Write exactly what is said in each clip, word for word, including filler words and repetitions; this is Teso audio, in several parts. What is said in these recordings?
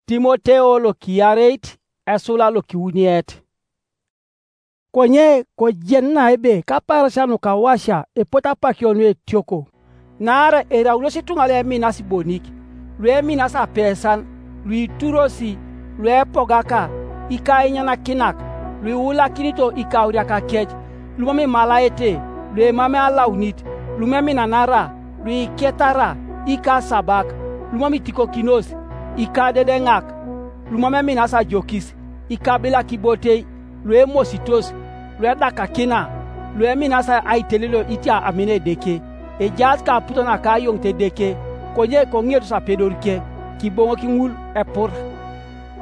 Timoteo lokiyareit, esula lokiwuniet. Konye kojenuna ebe kapaarasia nukawasia epot apakio nuetioko, naarai eraunos ituŋa lueminasi bonik, lueminasi apesan, luiturosi, luepogaka, ikainanakinak, luiulakinito ikauriakakec, lumam imalaete, luemam alaunit, lumeminanara, luiketara, ikasabak, lumam itikokinos, ikadedeŋak, lumam eminas ajokis, ikabilak ibotei, luemositos, luedakakina, lueminas aitelelio itia amina Edeke, ejaas kaputo naka ayoŋit Edeke, konye koŋiotos apedorike, kiboŋok ŋul epur.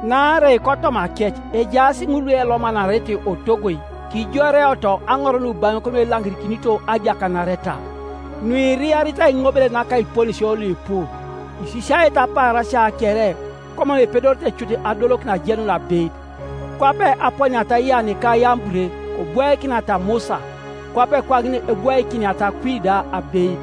Naarai kotoma kec ejaas ŋul luelomanarete otogoi, kijoreoto aŋor nubaŋok nuelaŋirikinito ajakanareta, nuiriarita iŋobelet naka iponisio luipu, isisiaete apaarasia kere, komam epedorete cut adolokin ajenun abeit. Kwape aponiata Ian ka Yambure kobwaikinata Musa, kwape kwaŋin ebwaikiniata kwi da abeit.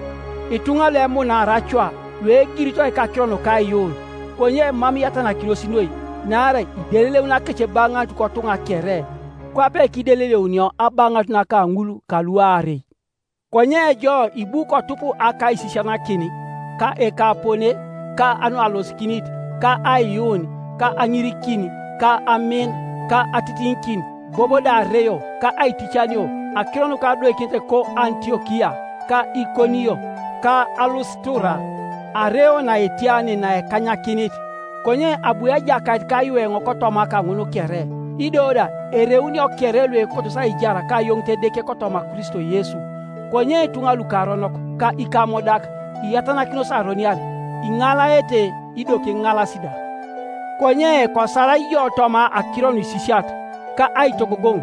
Ituŋa luemunaar acua, luegirito ikakiro nuka aiyuun, konye mam iatanakinos noi, naarai ideleleun akec ebaŋanut kotuŋa kere, kwape kideleleunio abaŋanut naka ŋul kaluarei. Konye jo ibu kotup akaisisianakin, ka ekapone, ka anualosikinit, ka aiyuun, ka aŋirikin, ka amin, ka atitiŋikin, bobo da areo, ka aiticanio, akiro nuka adoikinete ko Antiokia, ka Ikonio, ka Alustura, areo naetiani naekanyakinit. Konye abu Ejakait kayueŋo kotoma kaŋun kere, ido da ereunio kere luekotos aijar ka ayoŋit Edeke kotoma Kristo Yesu. Konye ituŋa lukaronok ka ikamodak iatanakinos aroniar, iŋalaete ido kiŋalasi da. Konye kosala ijo toma akiro nuisisiat, ka aitogogoŋ,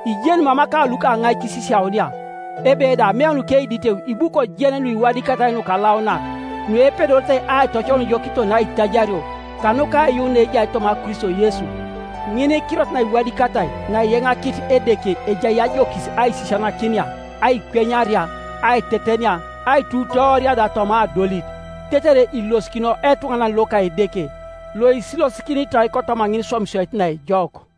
ijeni mam ka lukaŋaik isisiaunia, ebe da ameun keiditeu ibu kojen nuiwadikatai nukalaunak, nuepedorete aitocoun jo kiton aitajario, kanuka aiyuun naejai toma Kristo Yesu. Ŋin kirot naiwadikatai naeyaŋakit Edeke ejai ajokis aisisianakinia, aikwenyaria, aitetenia, aitutooria da toma adolit, tetere ilosikino etuŋanan loka Edeke, loisilosikinitoi kotoma ŋin iswamisoit naejok.